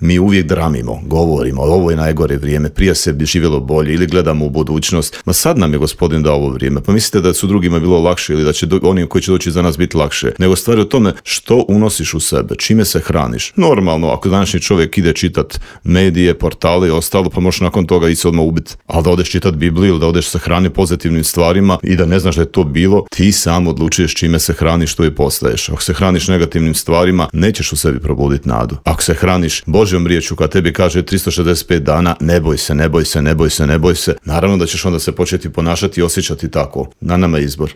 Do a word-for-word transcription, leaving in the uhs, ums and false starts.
Mi uvijek dramimo, govorimo, ovo je najgore vrijeme, prije se bi živjelo bolje ili gledamo u budućnost. Ma sad nam je Gospodin dao ovo vrijeme. Pa mislite da su drugima bilo lakše ili da će do, oni koji će doći za nas biti lakše. Nego stvari o tome što unosiš u sebe, čime se hraniš. Normalno, ako današnji čovjek ide čitat medije, portale i ostalo, pa možeš nakon toga i se odmah ubiti. Ali da odeš čitat Bibliju ili da odeš se hrani pozitivnim stvarima i da ne znaš da je to bilo, ti sam odlučuješ čime se hraniš, što i postaješ. Ako se hraniš negativnim stvarima, nećeš u sebi probuditi nadu. Ako se hraniš Božjom riječju koja tebi kaže tristo šezdeset pet dana, ne boj se, ne boj se, ne boj se, ne boj se, naravno da ćeš onda se početi ponašati i osjećati tako. Na nama je izbor.